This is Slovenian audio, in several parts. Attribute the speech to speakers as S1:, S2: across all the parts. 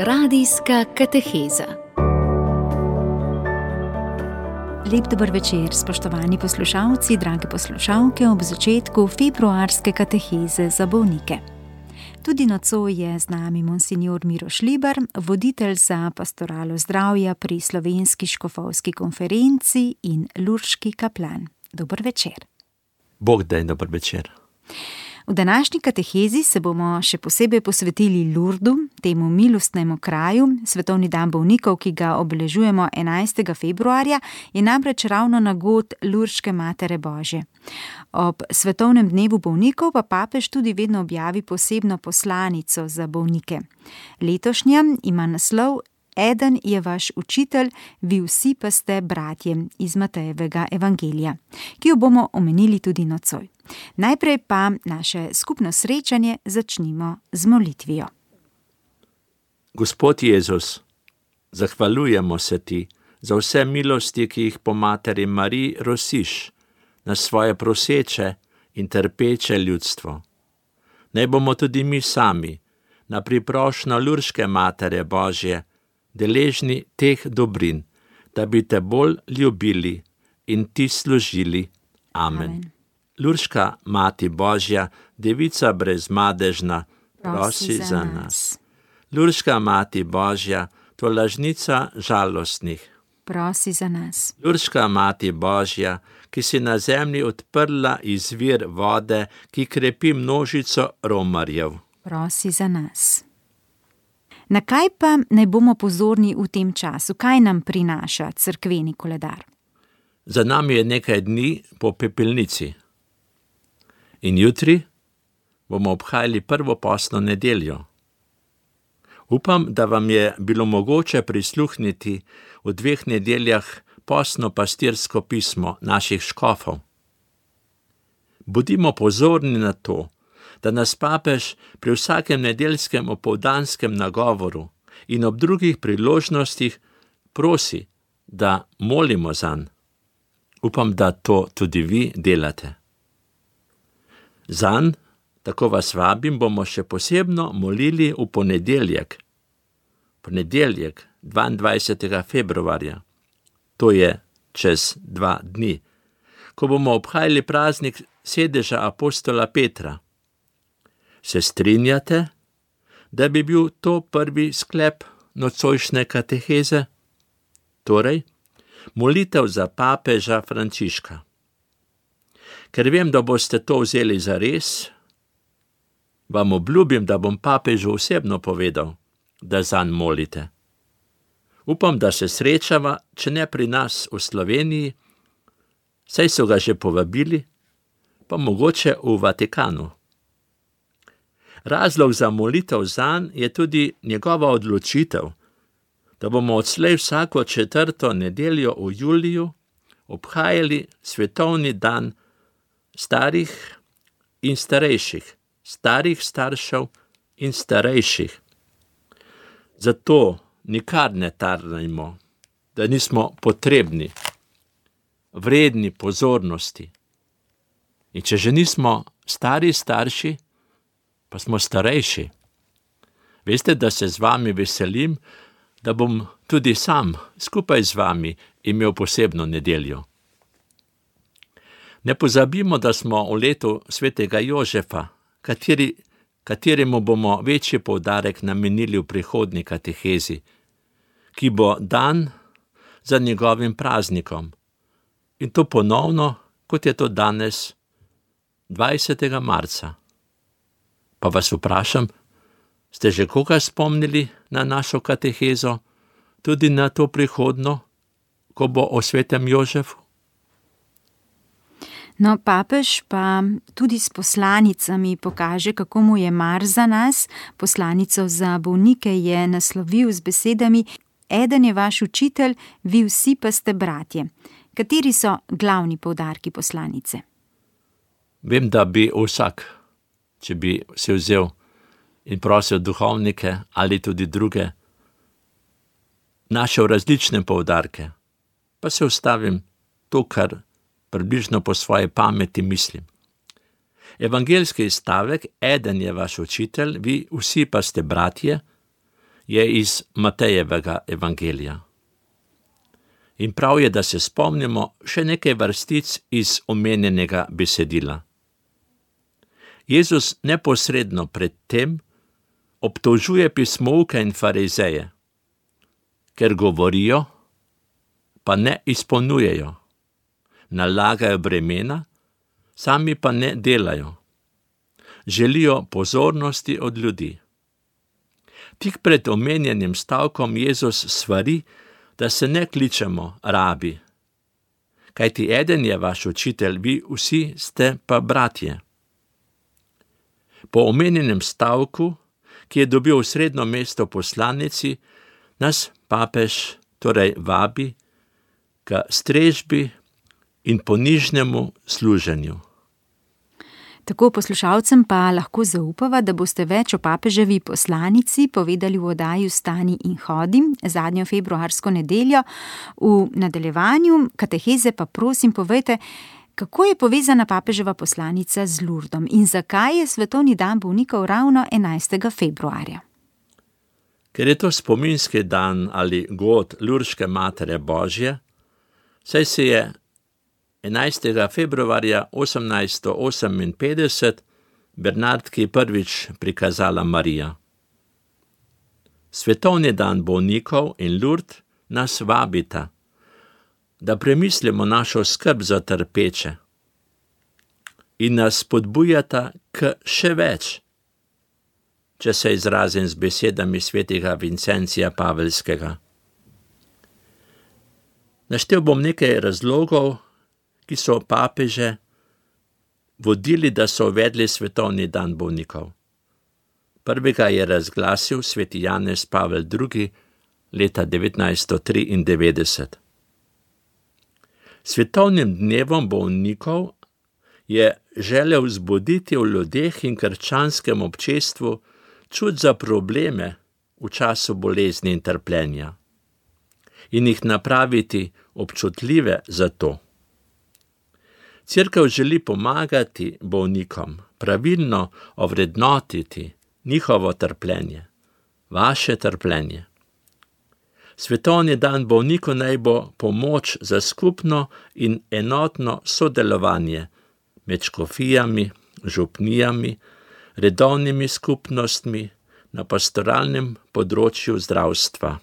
S1: Radijska kateheza.
S2: Lep dober večer, spoštovani poslušalci, drage poslušalke, ob začetku februarske kateheze za bolnike. Tudi nocoj je z nami monsignor Miro Šlibar, voditelj za pastoralo zdravja pri Slovenski škofovski konferenci in lurški kaplan. Dober večer.
S3: Bog daj, dober večer.
S2: V današnji katehezi se bomo še posebej posvetili Lurdu, temu milostnemu kraju. Svetovni dan bolnikov, ki ga obeležujemo 11. februarja, je namreč ravno nagod Lurške Matere Božje. Ob svetovnem dnevu bolnikov pa papež tudi vedno objavi posebno poslanico za bolnike. Letošnja ima naslov Eden je vaš učitelj, vi vsi pa ste bratje, iz Matejevega evangelija, ki jo bomo omenili tudi nocoj. Najprej pa naše skupno srečanje začnimo z molitvijo.
S3: Gospod Jezus, zahvaljujemo se ti za vse milosti, ki jih po Materi Mariji rosiš na svoje proseče in trpeče ljudstvo. Naj bomo tudi mi sami na priprošnjo Lurške Matere Božje deležni teh dobrin, da bi te bolj ljubili in ti služili. Amen. Lurška Mati Božja, Devica brezmadežna, prosi za nas. Lurška Mati Božja, tolažnica žalostnih,
S2: prosi za nas.
S3: Lurška Mati Božja, ki si na zemlji odprla izvir vode, ki krepi množico romarjev,
S2: prosi za nas. Na kaj pa naj bomo pozorni v tem času? Kaj nam prinaša cerkveni koledar?
S3: Za nami je nekaj dni po pepelnici. In jutri bomo obhajali prvo postno nedeljo. Upam, da vam je bilo mogoče prisluhniti v 2 nedeljah postno pastirsko pismo naših škofov. Bodimo pozorni na to, da nas papež pri vsakem nedeljskem opoldanskem nagovoru in ob drugih priložnostih prosi, da molimo zanj. Upam, da to tudi vi delate. Zanj, tako vas vabim, bomo še posebno molili v ponedeljek. Ponedeljek, 22. februarja, to je čez 2 dni, ko bomo obhajali praznik sedeža apostola Petra. Se strinjate, da bi bil to prvi sklep nocojšnje kateheze? Torej, molitev za papeža Frančiška. Ker vem, da boste to vzeli za res, vam obljubim, da bom papežu osebno povedal, da zanj molite. Upam, da se srečava, če ne pri nas v Sloveniji, saj so ga že povabili, pa mogoče v Vatikanu. Razlog za molitev zanj je tudi njegova odločitev, da bomo odslej vsako 4. nedeljo v juliju obhajali svetovni dan starih in starejših, starih staršev in starejših. Zato nikar ne tarnajmo, da nismo potrebni, vredni pozornosti. In če že nismo stari starši, pa smo starejši. Veste, da se z vami veselim, da bom tudi sam skupaj z vami imel posebno nedeljo. Ne pozabimo, da smo v letu svetega Jožefa, kateremu bomo večji poudarek namenili v prihodnji katehezi, ki bo dan za njegovim praznikom. In to ponovno, kot je to danes, 20. marca. Pa vas vprašam, ste že koga spomnili na našo katehezo, tudi na to prihodno, ko bo o svetem Jožefu?
S2: No, papež pa tudi s poslanicami pokaže, kako mu je mar za nas. Poslanico za bolnike je naslovil z besedami: Eden je vaš učitelj, vi vsi pa ste bratje. Kateri so glavni poudarki poslanice?
S3: Vem, da bi vsak, če bi se vzel in prosil duhovnike ali tudi druge, našel različne poudarke, pa se ustavim to, kar približno po svoji pameti mislim. Evangeljski stavek, eden je vaš učitelj, vi vsi pa ste bratje, je iz Matejevega evangelija. In prav je, da se spomnimo še nekaj vrstic iz omenjenega besedila. Jezus neposredno pred tem obtožuje pismouke in farizeje, ker govorijo, pa ne izpolnjujejo, nalagajo bremena, sami pa ne delajo. Želijo pozornosti od ljudi. Tik pred omenjenim stavkom Jezus svari, da se ne kličemo rabi, kajti eden je vaš učitelj, vi vsi ste pa bratje. Po omenjenem stavku, ki je dobil srednjo mesto poslanici, nas papež torej vabi k strežbi in ponižnemu služenju.
S2: Tako poslušalcem pa lahko zaupava, da boste več o papeževi poslanici povedali v oddaji Vstani in hodi zadnjo februarsko nedeljo. V nadaljevanju kateheze pa prosim povejte, kako je povezana papeževa poslanica z Lurdom in zakaj je svetovni dan bolnikov ravno 11. februarja.
S3: Ker je to spominski dan ali god Lurdske Matere Božje, saj se je 11. februarja 1858 Bernardki prvič prikazala Marija. Svetovni dan bolnikov in Lurd nas vabita, da premislimo našo skrb za trpeče in nas spodbujata k še več, če se izrazim z besedami svetega Vincencija Paveljskega. Naštel bom nekaj razlogov, ki so papeže vodili, da so uvedli svetovni dan bolnikov. Prvega je razglasil sveti Janez Pavel II. Leta 1993. Svetovnim dnevom bolnikov je želel vzbuditi v ljudeh in krščanskem občestvu čut za probleme v času bolezni in trpljenja in jih napraviti občutljive za to. Cerkev želi pomagati bolnikom, pravilno ovrednotiti njihovo trpljenje, vaše trpljenje. Svetovni dan bolnikov naj bo pomoč za skupno in enotno sodelovanje med škofijami, župnijami, redovnimi skupnostmi na pastoralnem področju zdravstva.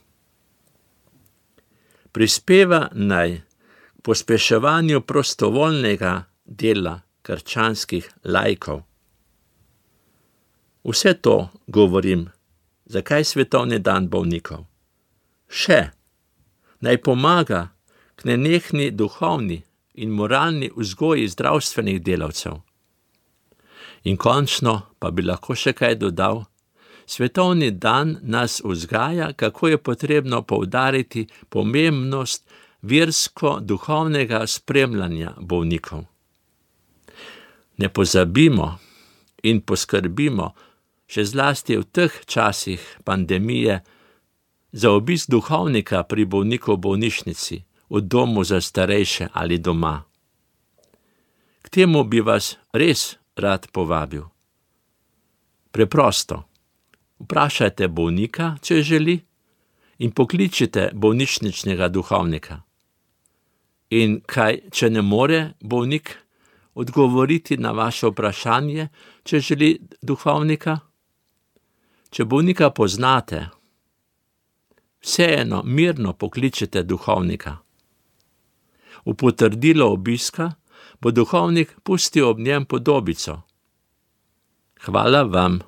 S3: Prispeva naj pospeševanju prostovoljnega dela krščanskih laikov. Vse to govorim, zakaj svetovni dan bolnikov. Še naj pomaga k nenehni duhovni in moralni vzgoji zdravstvenih delavcev. In končno pa bi lahko še kaj dodal, svetovni dan nas vzgaja, kako je potrebno poudariti pomembnost versko-duhovnega spremljanja bolnikov. Ne pozabimo in poskrbimo, še zlasti v teh časih pandemije, za obisk duhovnika pri bolniku v bolnišnici, v domu za starejše ali doma. K temu bi vas res rad povabil. Preprosto, vprašajte bolnika, če želi, in pokličite bolnišničnega duhovnika. In kaj, če ne more bolnik odgovoriti na vaše vprašanje, če želi duhovnika? Če bolnika poznate, vseeno mirno pokličete duhovnika. V potrdilo obiska bo duhovnik pustil ob njem podobico. Hvala vam,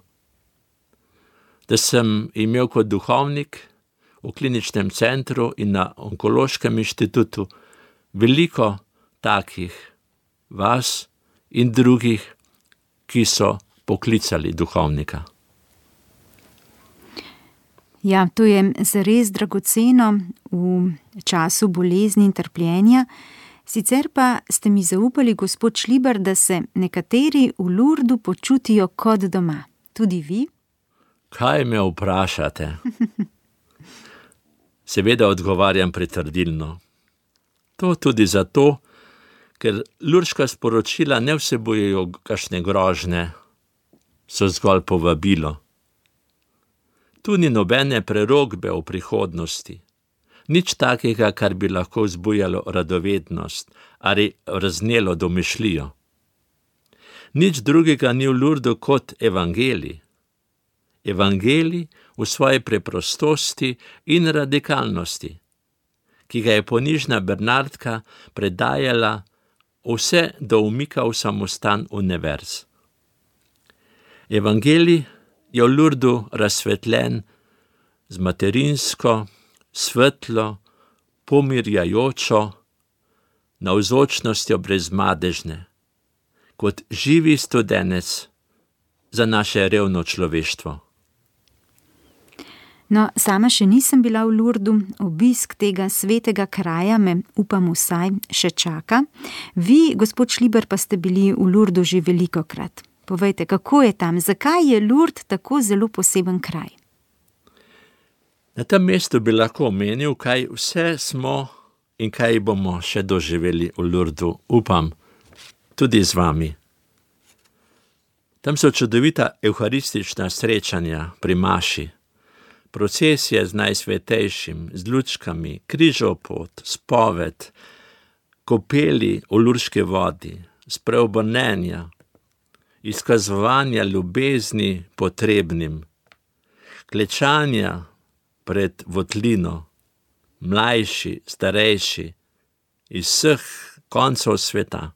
S3: da sem imel kot duhovnik v kliničnem centru in na onkološkem inštitutu veliko takih vas in drugih, ki so poklicali duhovnika.
S2: Ja, to je zares dragoceno v času bolezni in trpljenja. Sicer pa ste mi zaupali, gospod Šlibar, da se nekateri v Lurdu počutijo kot doma. Tudi vi?
S3: Kaj me vprašate? Seveda odgovarjam pritrdilno. To tudi zato, ker lurdska sporočila ne vsebujejo kakšne grožnje, so zgolj povabilo. Tu ni nobene prerokbe o prihodnosti. Nič takega, kar bi lahko vzbujalo radovednost ali raznelo domišljijo. Nič drugega ni v Lurdu kot evangelij. Evangelij v svoji preprostosti in radikalnosti, ki ga je ponižna Bernardka predajala vse do umika v samostan univerz. Evangelij je v Lurdu razsvetljen z materinsko, svetlo, pomirjajočo navzočnostjo brezmadežne, kot živi studenec za naše revno človeštvo.
S2: No, sama še nisem bila v Lurdu, obisk tega svetega kraja me, upam vsaj, še čaka. Vi, gospod Šliber, pa ste bili v Lurdu že velikokrat. Povejte, kako je tam, zakaj je Lurd tako zelo poseben kraj?
S3: Na tem mestu bi lahko omenil, kaj vse smo in kaj bomo še doživeli v Lurdu, upam, tudi z vami. Tam so čudovita evharistična srečanja pri maši, procesije z Najsvetejšim, z lučkami, križopot, spoved, kopeli v lurški vodi, spreobrnenja, izkazovanja ljubezni potrebnim, klečanja pred votlino, mlajši, starejši, iz vseh koncev sveta.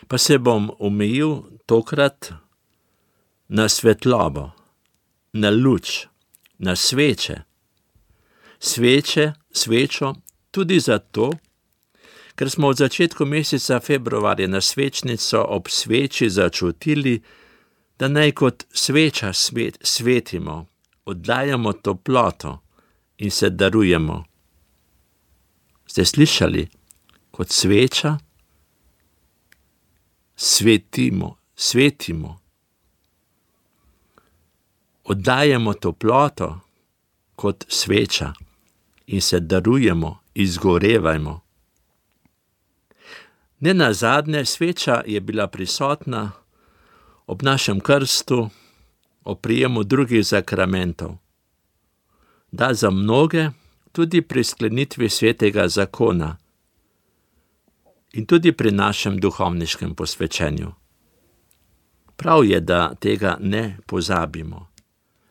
S3: Pa se bom omejil tokrat na svetlobo, na luč, na sveče. Svečo tudi zato, ker smo od začetku meseca februarja na svečnico ob sveči začutili, da naj kot sveča svetimo, oddajamo toploto in se darujemo. Ste slišali? Kot sveča svetimo. Oddajamo toploto kot sveča in se darujemo, izgorevajmo. Nenazadnje sveča je bila prisotna ob našem krstu, ob prijemu drugih zakramentov. Da za mnoge tudi pri sklenitvi svetega zakona in tudi pri našem duhovniškem posvečenju. Prav je, da tega ne pozabimo.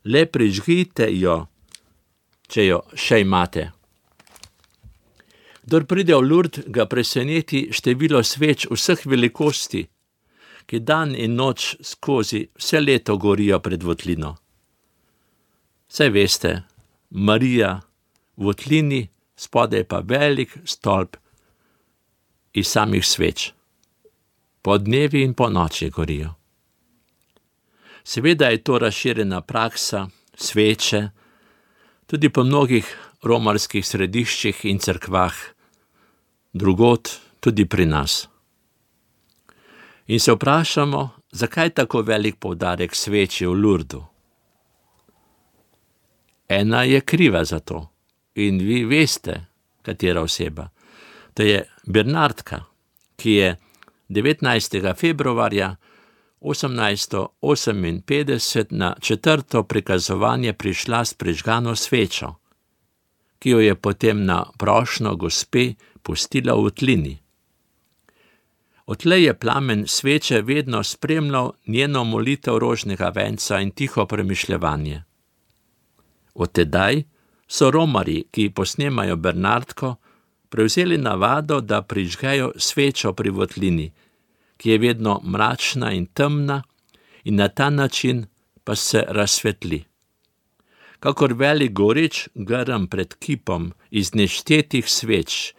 S3: Le prižgite jo, če jo še imate. Kdor pride v Lurd, ga preseneti število sveč vseh velikosti, ki dan in noč skozi vse leto gorijo pred votlino. Saj veste, Marija v votlini, spodaj pa velik stolp iz samih sveč. Po dnevi in po noči gorijo. Seveda je to razširjena praksa, sveče, tudi po mnogih romarskih središčih in cerkvah, drugod tudi pri nas. In se vprašamo, zakaj tako velik poudarek sveči v Lurdu. Ena je kriva za to in vi veste, katera oseba. To je Bernardka, ki je 19. februarja 1858 na 4. prikazovanje prišla s prižgano svečo, ki jo je potem na prošnjo gospe pustila v votlini. Odtlej je plamen sveče vedno spremljal njeno molitev rožnega venca in tiho premišljevanje. Od tedaj so romarji, ki posnemajo Bernardko, prevzeli navado, da prižgejo svečo pri votlini, ki je vedno mračna in temna in na ta način pa se razsvetli. Kakor velik goreč grm pred kipom iz neštetih sveč,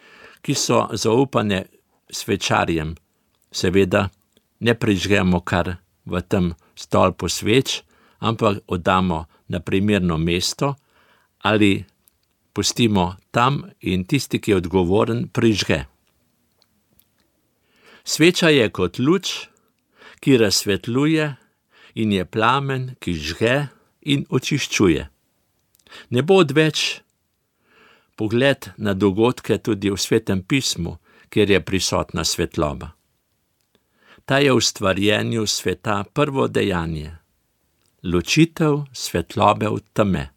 S3: ki so zaupane svečarjem, seveda ne prižgemo kar v tem stolpu sveč, ampak oddamo na primerno mesto ali pustimo tam in tisti, ki je odgovoren, prižge. Sveča je kot luč, ki razsvetljuje in je plamen, ki žge in očiščuje. Ne bo odveč pogled na dogodke tudi v Svetem pismu, kjer je prisotna svetloba. Ta je v stvarjenju sveta prvo dejanje. ločitev svetlobe od teme.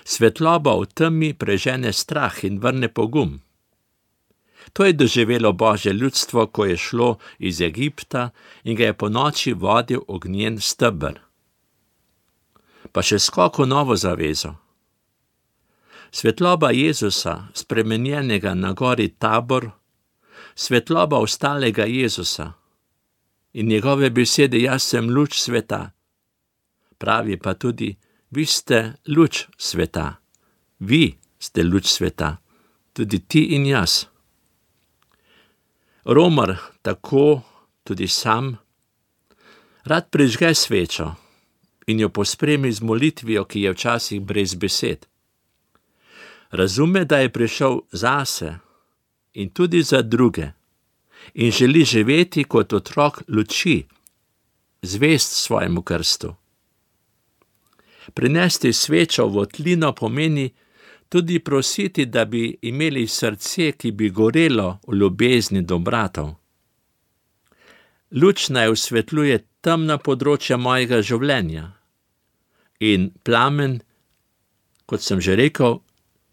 S3: Svetloba v temi prežene strah in vrne pogum. To je doživelo Božje ljudstvo, ko je šlo iz Egipta in ga je ponoči vodil ognjen steber. Pa še skok v novo zavezo. Svetloba Jezusa, spremenjenega na gori Tabor, svetloba ostalega Jezusa in njegove besede, jaz sem luč sveta. Pravi pa tudi, vi ste luč sveta. Vi ste luč sveta, tudi ti in jaz. Romar, tako tudi sam, rad prižge svečo in jo pospremi z molitvijo, ki je včasih brez besed. Razume, da je prišel zase in tudi za druge in želi živeti kot otrok luči, zvest svojemu krstu. Prinesti svečo v votlino pomeni tudi prositi, da bi imeli srce, ki bi gorelo v ljubezni do bratov. Luč naj osvetljuje temna področja mojega življenja in plamen, kot sem že rekel,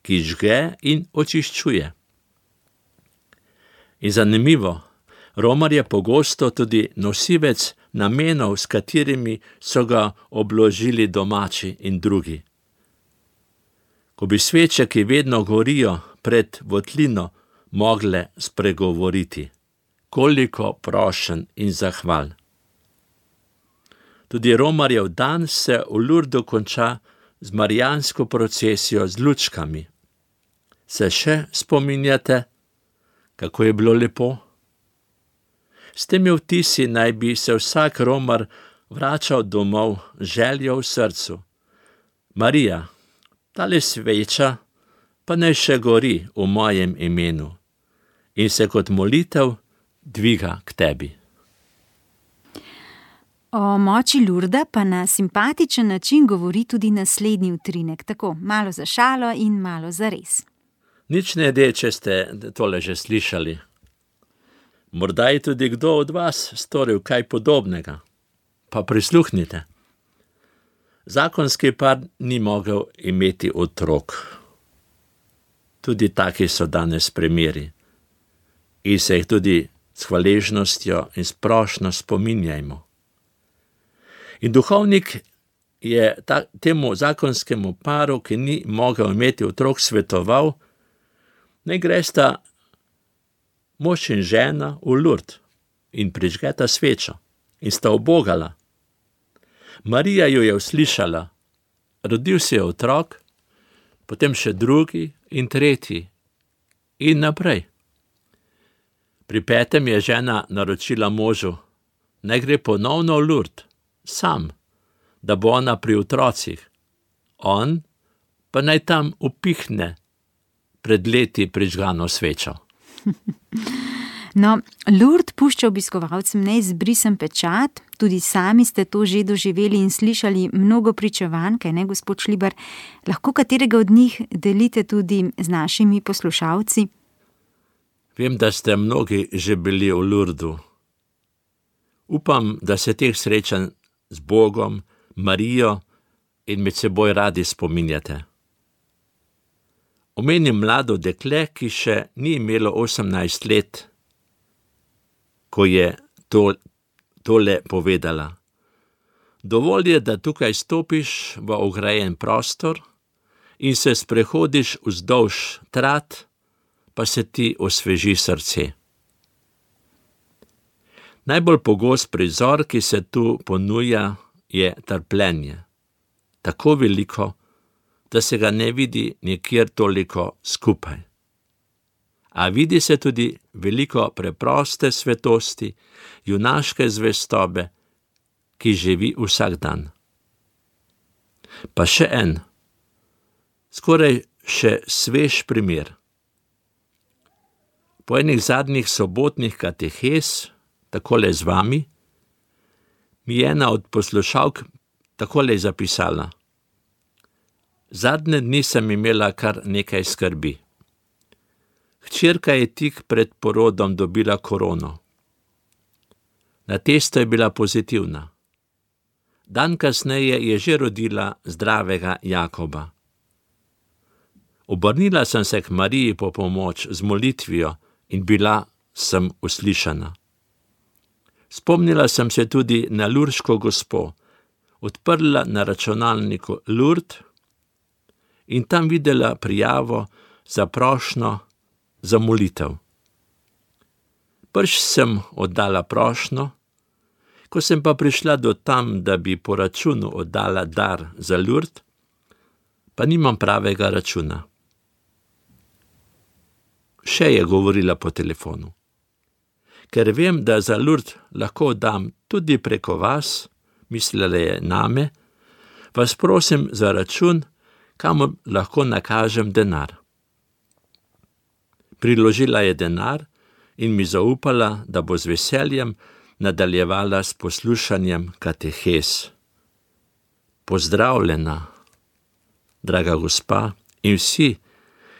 S3: ki žge in očiščuje. In zanimivo, Romar je pogosto tudi nosilec namenov, s katerimi so ga obložili domači in drugi. Ko bi sveče, ki vedno gorijo pred votlino, mogle spregovoriti, koliko prošenj in zahval. Tudi Romarjev dan se v Lurdu konča z marijansko procesijo z lučkami. Se še spominjate, kako je bilo lepo? S temi vtisi naj bi se vsak Romar vračal domov z željo v srcu. Marija, tale sveča pa naj še gori v mojem imenu in se kot molitev dviga k tebi.
S2: O moči Lurda pa na simpatičen način govori tudi naslednji utrinek, tako malo za šalo in malo za res.
S3: Nič ne de, če ste tole že slišali. Morda je tudi kdo od vas storil kaj podobnega. Pa prisluhnite. Zakonski par ni mogel imeti otrok. Tudi taki so danes primeri. In se jih tudi s hvaležnostjo in s prošnjo spominjajmo. In duhovnik je temu zakonskemu paru, ki ni mogel imeti otrok, svetoval, naj gresta mož in žena v Lurd in prižgeta svečo in sta ubogala. Marija jo je uslišala, rodil se je otrok, potem še drugi in tretji in naprej. Pri 5. je žena naročila možu, naj gre ponovno v Lurd, sam, da bo ona pri otrocih. On pa naj tam upihne pred leti prižgano svečo.
S2: No, Lurd pušča obiskovalcem neizbrisen pečat, tudi sami ste to že doživeli in slišali mnogo pričevanj, kaj ne, gospod Šlibar? Lahko katerega od njih delite tudi z našimi poslušalci?
S3: Vem, da ste mnogi že bili v Lurdu. Upam, da se teh srečanj z Bogom, Marijo in med seboj radi spominjate. Omenim mlado dekle, ki še ni imelo 18 let, ko je tole povedala. Dovolj je, da tukaj stopiš v ograjen prostor in se sprehodiš vzdolž trat, pa se ti osveži srce. Najbolj pogost prizor, ki se tu ponuja, je trpljenje. Tako veliko, da se ga ne vidi nikjer toliko skupaj. A vidi se tudi veliko preproste svetosti, junaške zvestobe, ki živi vsak dan. Pa še en, skoraj še svež primer. Po enih zadnjih sobotnih katehez, takole z vami, mi je ena od poslušalk takole zapisala. Zadnje dni sem imela kar nekaj skrbi. Hčerka je tik pred porodom dobila korono. Na testu je bila pozitivna. Dan kasneje je že rodila zdravega Jakoba. Obrnila sem se k Mariji po pomoč z molitvijo in bila sem uslišana. Spomnila sem se tudi na Lurško gospo, odprla na računalniku Lourdes in tam videla prijavo za prošnjo za molitev. Prvič sem oddala prošnjo, ko sem pa prišla do tam, da bi po računu oddala dar za Lourdes, pa nimam pravega računa. Še je govorila po telefonu. Ker vem, da za Lourdes lahko dam tudi preko vas, mislila je name, vas prosim za račun, kamor lahko nakažem denar. Priložila je denar in mi zaupala, da bo z veseljem nadaljevala s poslušanjem katehez. Pozdravljena, draga gospa in vsi,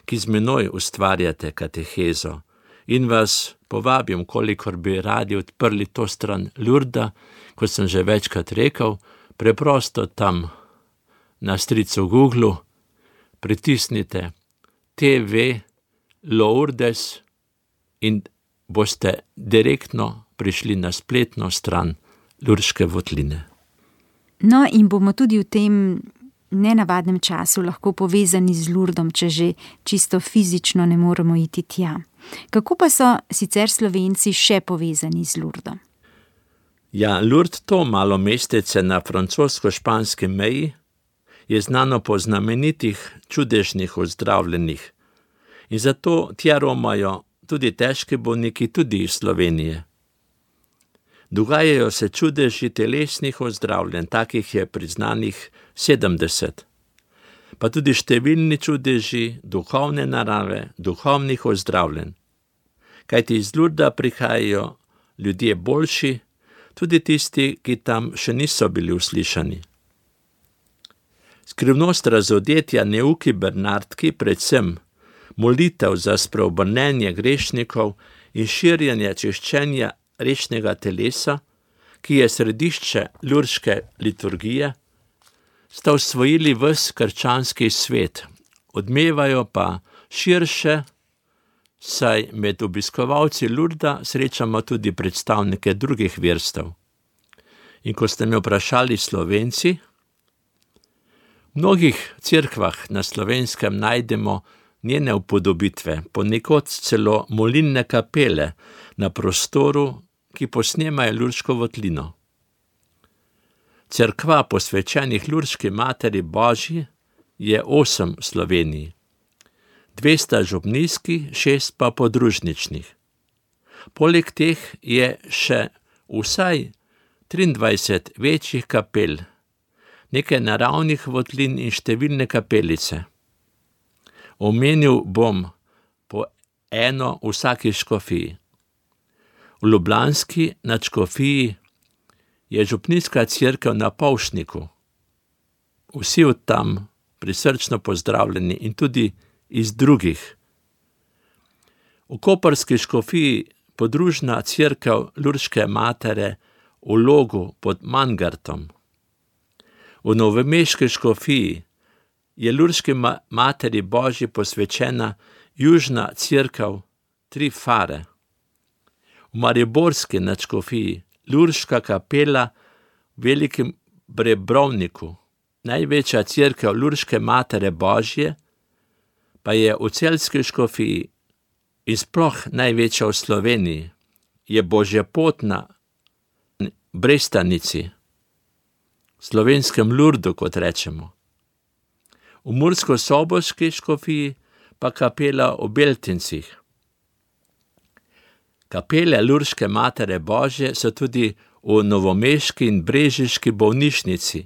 S3: ki z menoj ustvarjate katehezo, in vas povabim, kolikor bi radi odprli to stran Lourdesa, kot sem že večkrat rekel, preprosto tam na stricu Google pritisnite TV Lourdes in boste direktno prišli na spletno stran Lurške votline.
S2: No, in bomo tudi v tem nenavadnem času lahko povezani z Lourdom, če že čisto fizično ne moremo iti tja. Kako pa so sicer Slovenci še povezani z Lourdom?
S3: Ja, Lourdes, to malo mestece na francosko-španski meji, je znano po znamenitih čudežnih ozdravljenih in zato tja romajo tudi težki bolniki, tudi iz Slovenije. Dogajajo se čudeži telesnih ozdravljenj, takih je priznanih 70, pa tudi številni čudeži duhovne narave, duhovnih ozdravljenj. Kajti iz Lourdesa prihajajo ljudje boljši, tudi tisti, ki tam še niso bili uslišani. Skrivnost razodetja neuki Bernardki, predvsem molitev za spreobrnenje grešnikov in širjenje čiščenja rečnega telesa, ki je središče lurške liturgije, sta osvojili ves krščanski svet, odmevajo pa širše, saj med obiskovalci Lourdesa srečamo tudi predstavnike drugih verstev. In ko ste me vprašali Slovenci, v mnogih cerkvah na Slovenskem najdemo njene upodobitve, ponekod celo molilne kapele na prostoru, ki posnemajo Lurško votlino. Cerkva posvečenih Lurški Materi Božji je 8 v Sloveniji, 200 župnijskih, 6 pa podružničnih. Poleg teh je še vsaj 23 večjih kapel, nekaj naravnih votlin in številne kapelice. Omenil bom po eno v vsaki škofiji. V ljubljanski nadškofiji je župnijska cerkev na Pavšniku. Vsi od tam prisrčno pozdravljeni in tudi iz drugih. V koprski škofiji podružna cerkev Lurške Matere v Logu pod Mangartom. V novomeški škofiji je Lurški Materi Božji posvečena južna cerkev Tri Fare. V mariborski nadškofiji Lurška kapela v Velikem Brebrovniku, največja cerkev Lurške Matere Božje, pa je v celjski škofiji in sploh največja v Sloveniji, je Božjepotna Brestanici, slovenskem Lourdu, kot rečemo. V mursko-soboški škofiji pa kapela v Beltincih. Kapele Lurške Matere Božje so tudi v novomeški in brežiški bolnišnici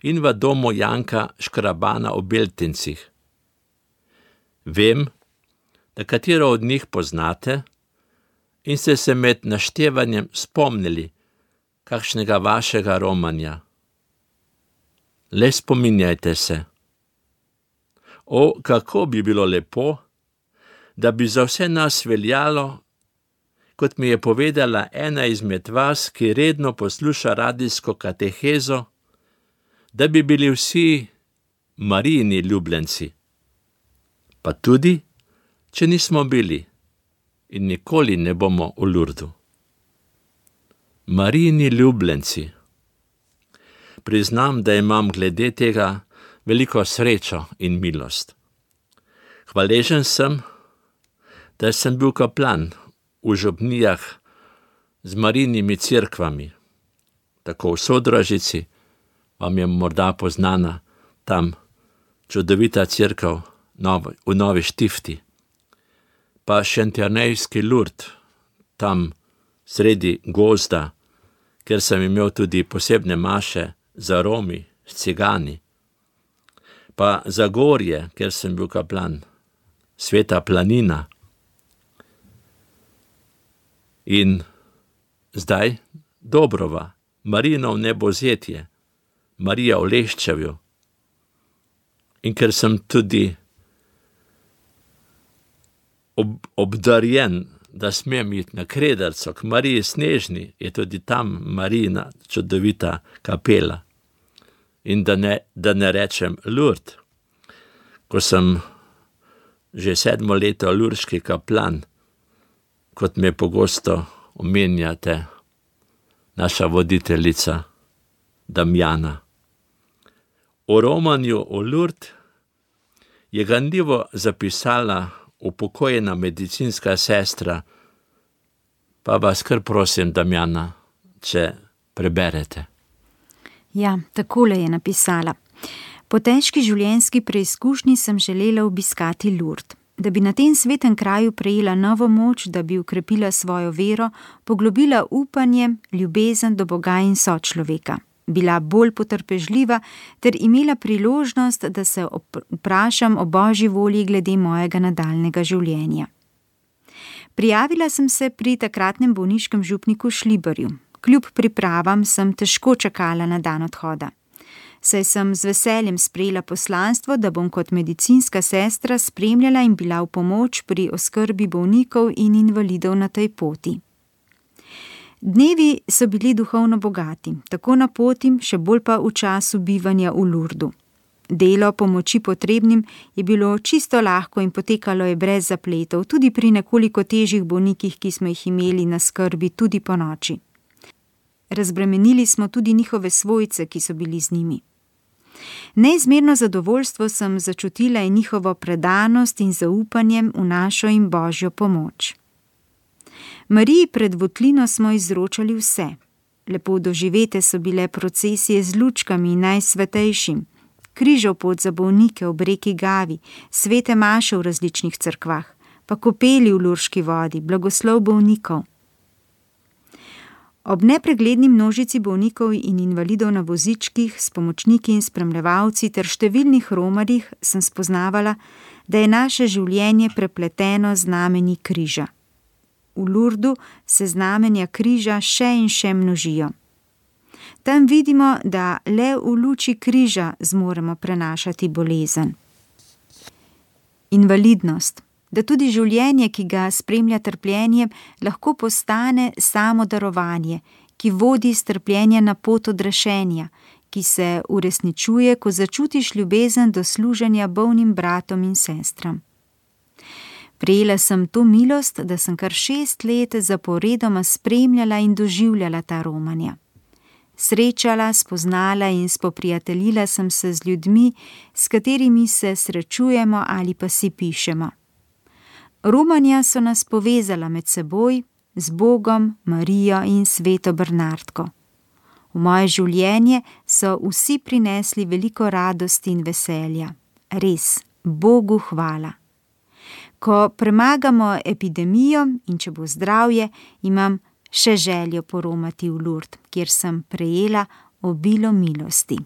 S3: in v domu Janka Škrabana v Beltincih. Vem, da katero od njih poznate in ste se med naštevanjem spomnili kakšnega vašega romanja. Le spominjajte se. O, kako bi bilo lepo, da bi za vse nas veljalo, kot mi je povedala ena izmed vas, ki redno posluša radijsko katehezo, da bi bili vsi Marijini ljubljenci. Pa tudi, če nismo bili in nikoli ne bomo v Lurdu. Marijini ljubljenci. Priznam, da imam glede tega veliko srečo in milost. Hvaležen sem, da sem bil kaplan v župnijah z Marijinimi cerkvami. Tako v Sodražici, vam je morda poznana tam čudovita cerkev v Novi Štifti, pa Šentjernejski Lurd, tam sredi gozda, ker sem imel tudi posebne maše za Romi, s cigani, pa Zagorje, ker sem bil kaplan, Sveta planina. In zdaj Dobrova, Marijino nebozetje, Marija v Leščevju. In ker sem tudi obdarjen, da smem iti na Krederco k Mariji Snežni, je tudi tam Marijina čudovita kapela. In da ne rečem Lurd, ko sem že 7. leto lurški kaplan, kot me pogosto omenjate, naša voditeljica Damjana. O romanju v Lurd je ganljivo zapisala upokojena medicinska sestra, pa vas kar prosim, Damjana, če preberete.
S2: Ja, takole je napisala. Po težki življenjski preizkušnji sem želela obiskati Lurd, da bi na tem svetem kraju prejela novo moč, da bi ukrepila svojo vero, poglobila upanje, ljubezen do Boga in sočloveka, bila bolj potrpežljiva ter imela priložnost, da se vprašam o Božji volji glede mojega nadaljnega življenja. Prijavila sem se pri takratnem bolniškem župniku Šlibarju. Kljub pripravam sem težko čakala na dan odhoda. Saj sem z veseljem sprejela poslanstvo, da bom kot medicinska sestra spremljala in bila v pomoč pri oskrbi bolnikov in invalidov na tej poti. Dnevi so bili duhovno bogati, tako na poti, še bolj pa v času bivanja v Lurdu. Delo pomoči potrebnim je bilo čisto lahko in potekalo je brez zapletov, tudi pri nekoliko težjih bolnikih, ki smo jih imeli na skrbi tudi po noči. Razbremenili smo tudi njihove svojce, ki so bili z njimi. Neizmerno zadovoljstvo sem začutila in njihovo predanost in zaupanjem v našo in Božjo pomoč. Mariji pred votlino smo izročali vse. Lepo doživete so bile procesije z lučkami in najsvetejšim, križov pot za bolnike ob reki Gavi, svete maše v različnih cerkvah, pa kopeli v lurški vodi, blagoslov bolnikov. Ob nepregledni množici bolnikov in invalidov na vozičkih, s pomočniki in spremljevalci ter številnih romarjih sem spoznavala, da je naše življenje prepleteno z znamenji križa. V Lurdu se znamenja križa še in še množijo. Tam vidimo, da le v luči križa zmoremo prenašati bolezen. Invalidnost. Da tudi življenje, ki ga spremlja trpljenje, lahko postane samo darovanje, ki vodi strpljenje na pot odrešenja, ki se uresničuje, ko začutiš ljubezen do služenja bolnim bratom in sestram. Prejela sem to milost, da sem kar 6 let zaporedoma spremljala in doživljala ta romanja. Srečala, spoznala in spoprijateljila sem se z ljudmi, s katerimi se srečujemo ali pa si pišemo. Romanja so nas povezala med seboj, z Bogom, Marijo in sveto Bernardko. V moje življenje so vsi prinesli veliko radosti in veselja. Res, Bogu hvala. Ko premagamo epidemijo in če bo zdravje, imam še željo poromati v Lurd, kjer sem prejela obilo milosti.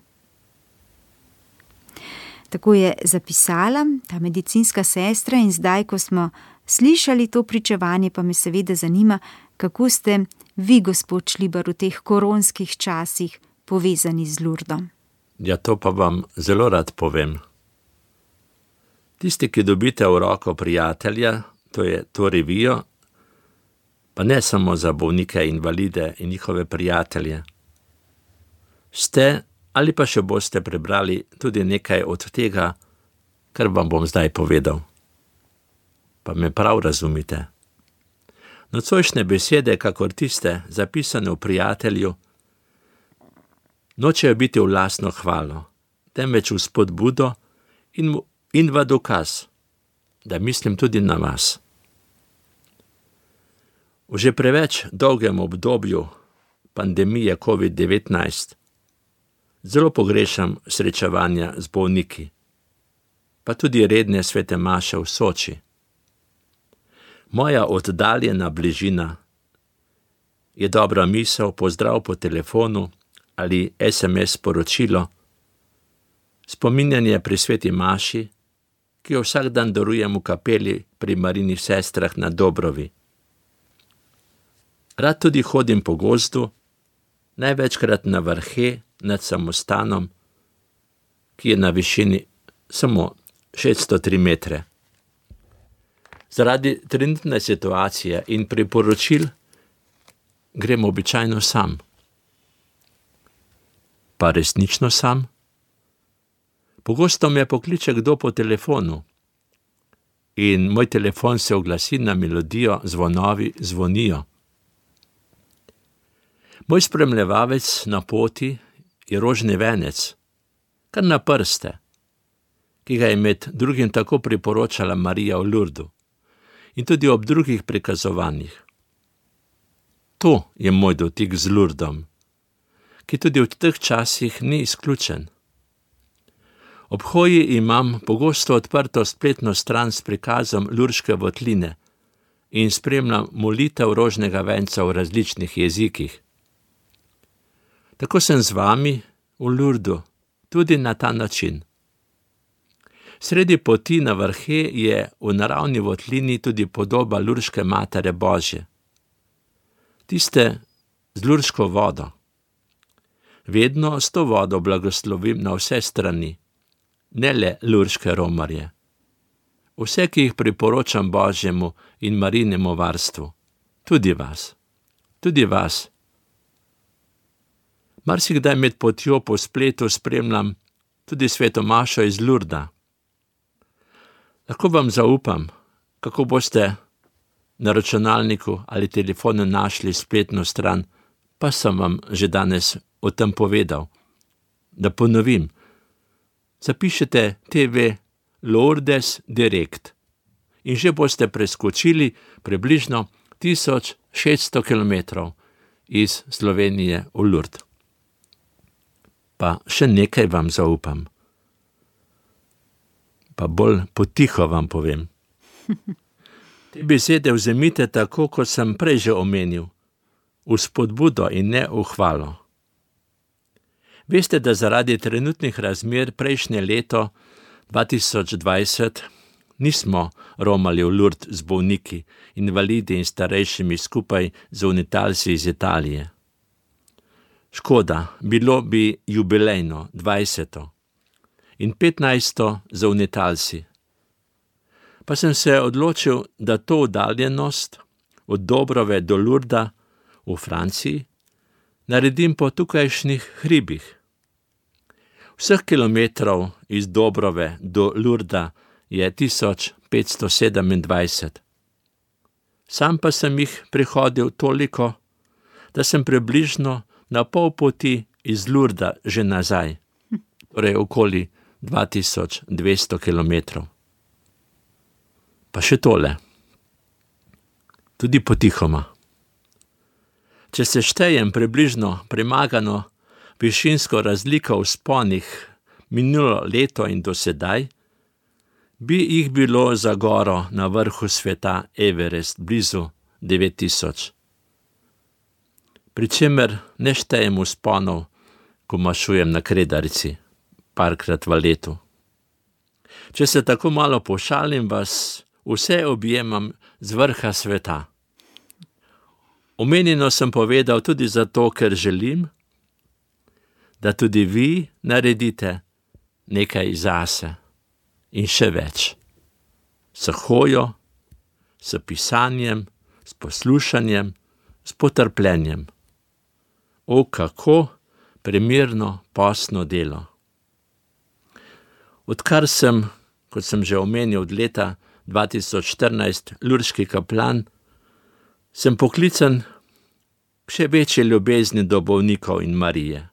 S2: Tako je zapisala ta medicinska sestra in zdaj, ko smo slišali to pričevanje, pa me seveda zanima, kako ste vi, gospod Šlibar, v teh koronskih časih povezani z Lurdom.
S3: Ja, to pa vam zelo rad povem. Tisti, ki dobite v roko prijatelja, to je to revijo, Pa ne samo za bolnike, invalide in njihove prijatelje. Ste ali pa še boste prebrali tudi nekaj od tega, kar vam bom zdaj povedal. Pa me prav razumite. Nocojšnje besede, kakor tiste, zapisane v Prijatelju, nočejo biti v lastno hvalo, temveč v spodbudo in v dokaz, da mislim tudi na vas. V že preveč dolgem obdobju pandemije COVID-19 zelo pogrešam srečevanja z bolniki, pa tudi redne svete maše v Soči. Moja oddaljena bližina je dobra misel, pozdrav po telefonu ali SMS sporočilo, spominjanje pri sveti maši, ki jo vsak dan darujem v kapeli pri Marinih sestrah na Dobrovi. Rad tudi hodim po gozdu, največkrat na vrhe nad samostanom, ki je na višini samo 603 metre. Zaradi trenutne situacije in priporočil grem običajno sam. Pa resnično sam? Pogosto me pokliče kdo po telefonu in moj telefon se oglasi na melodijo Zvonovi zvonijo. Moj spremljevalec na poti je rožni venec, kar na prste, ki ga je med drugim tako priporočala Marija v Lurdu in tudi ob drugih prikazovanjih. To je moj dotik z Lurdom, ki tudi v teh časih ni izključen. Ob hoji imam pogosto odprto spletno stran s prikazom lurške votline in spremljam molitev rožnega venca v različnih jezikih. Tako sem z vami v Lurdu, tudi na ta način. Sredi poti na vrhe je v naravni votlini tudi podoba lurške Matere Božje. Tiste z lurško vodo. Vedno s to vodo blagoslovim na vse strani, ne le lurške romarje. Vse, ki jih priporočam Božjemu in Marinemu varstvu. Tudi vas. Tudi vas. Marsikdaj med potjo po spletu spremljam tudi sveto mašo iz Lurda. Lahko vam zaupam, kako boste na računalniku ali telefonu našli spletno stran, pa sem vam že danes o tem povedal. Da ponovim, zapišite TV Lourdes Direct in že boste preskočili približno 1600 km iz Slovenije v Lourdes. Pa še nekaj vam zaupam. Pa bolj potiho vam povem. Te besede vzemite tako, kot sem prej že omenil, v spodbudo in ne v hvalo. Veste, da zaradi trenutnih razmer prejšnje leto 2020 nismo romali v Lourdes z bolniki, invalidi in starejšimi skupaj z unitalci iz Italije. Škoda, bilo bi jubilejno 20. in 15. za unitalci. Pa sem se odločil, da to oddaljenost od Dobrove do Lurda v Franciji naredim po tukajšnjih hribih. Vseh kilometrov iz Dobrove do Lurda je 1527. Sam pa sem jih prehodil toliko, da sem približno na pol poti iz Lurda že nazaj, torej okoli 2200 kilometrov. Pa še tole. Tudi potihoma. Če se štejem približno premagano višinsko razliko v vzponih minulo leto in do sedaj, bi jih bilo za goro na vrhu sveta Everest blizu 9000. Pričemer ne štejem vzponov, ko mašujem na Kredarici, parkrat v letu. Če se tako malo pošalim, vas vse objemam z vrha sveta. Omenjeno sem povedal tudi zato, ker želim, da tudi vi naredite nekaj zase in še več. S hojo, s pisanjem, s poslušanjem, s potrpljenjem. O, kako primerno postno delo. Odkar sem, kot sem že omenil, od leta 2014 lurdski kaplan, sem poklican k še večji ljubezni do bolnikov in Marije.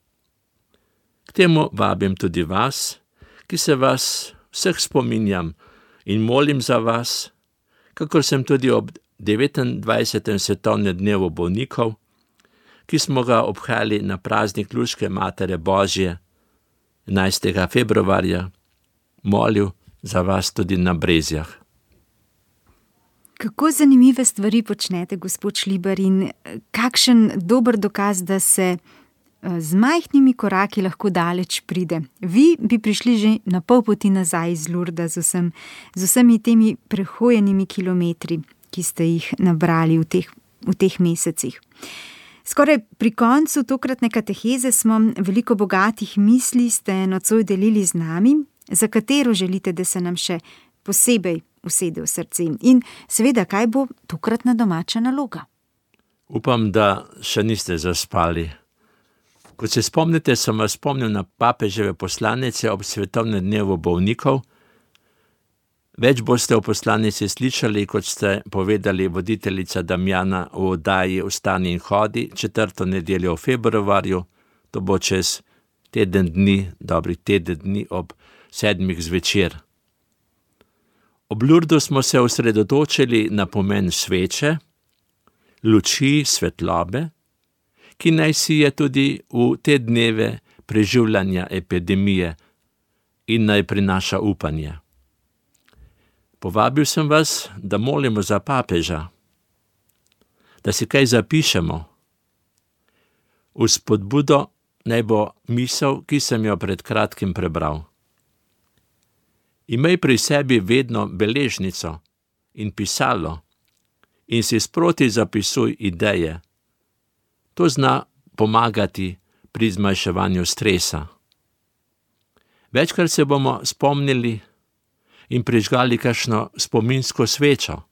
S3: K temu vabim tudi vas, ki se vas vseh spominjam in molim za vas, kakor sem tudi ob 29. svetovnem dnevu bolnikov, ki smo ga obhajali na praznik Lurdske Matere Božje 11. februarja, molil za vas tudi na Brezjah.
S2: Kako zanimive stvari počnete, gospod Šlibar, in kakšen dober dokaz, da se z majhnimi koraki lahko daleč pride. Vi bi prišli že na pol poti nazaj iz Lurda z vsemi temi prehojenimi kilometri, ki ste jih nabrali v teh mesecih. Skoraj pri koncu tokratne kateheze smo veliko bogatih misli ste nocoj delili z nami, za katero želite, da se nam še posebej usede v srce. In seveda, kaj bo tokratna domača naloga?
S3: Upam, da še niste zaspali. Kot se spomnite, sem vas spomnil na papeževe poslanice ob svetovnem dnevu bolnikov. Več boste o poslanici slišali, kot ste povedali voditeljica Damjana v oddaji Vstani in hodi 4. nedeljo v februarju. To bo čez dobrih teden dni ob 7. zvečer. Ob Lurdu smo se osredotočili na pomen sveče, luči, svetlobe, ki naj si je tudi v te dneve preživljanja epidemije in naj prinaša upanje. Povabil sem vas, da molimo za papeža, da si kaj zapišemo. V spodbudo naj bo misel, ki sem jo pred kratkim prebral. Imej pri sebi vedno beležnico in pisalo in si sproti zapisuj ideje. To zna pomagati pri zmanjševanju stresa. Večkrat se bomo spomnili in prižgali kakšno spominsko svečo,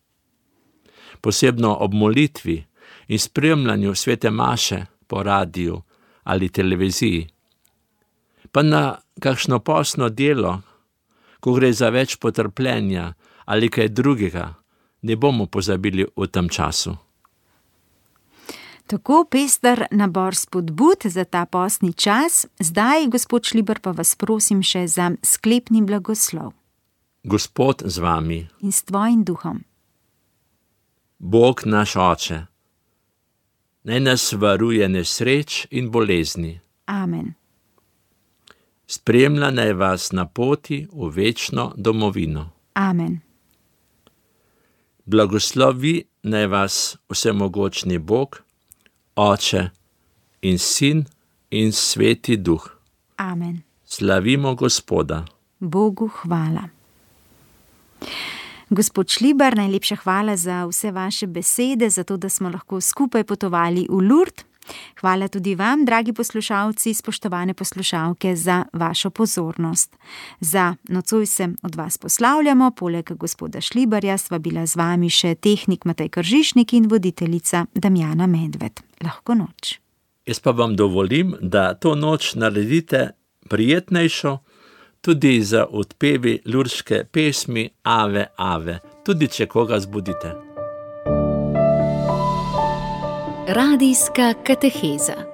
S3: posebno ob molitvi in spremljanju svete maše po radiju ali televiziji. Pa na kakšno postno delo, ko gre za več potrpljenja ali kaj drugega, ne bomo pozabili v tem času.
S2: Tako pester nabor spodbud za ta postni čas. Zdaj, gospod Šlibar, pa vas prosim še za sklepni blagoslov.
S3: Gospod z vami.
S2: In s tvojim duhom.
S3: Bog naš Oče, naj nas varuje nesreč in bolezni.
S2: Amen.
S3: Spremlja naj vas na poti v večno domovino.
S2: Amen.
S3: Blagoslovi naj vas vsemogočni Bog, Oče in Sin in Sveti Duh.
S2: Amen.
S3: Slavimo Gospoda.
S2: Bogu hvala. Gospod Šlibar, najlepša hvala za vse vaše besede, za to, da smo lahko skupaj potovali v Lurd. Hvala tudi vam, dragi poslušalci, spoštovane poslušalke, za vašo pozornost. Za nocoj se od vas poslavljamo, poleg gospoda Šlibarja sva bila z vami še tehnik Matej Kržišnik in voditeljica Damjana Medved. Lahko noč.
S3: Jaz pa vam dovolim, da to noč naredite prijetnejšo, tudi za odpevi lurdske pesmi Ave, Ave, tudi če koga zbudite.
S1: Radijska kateheza.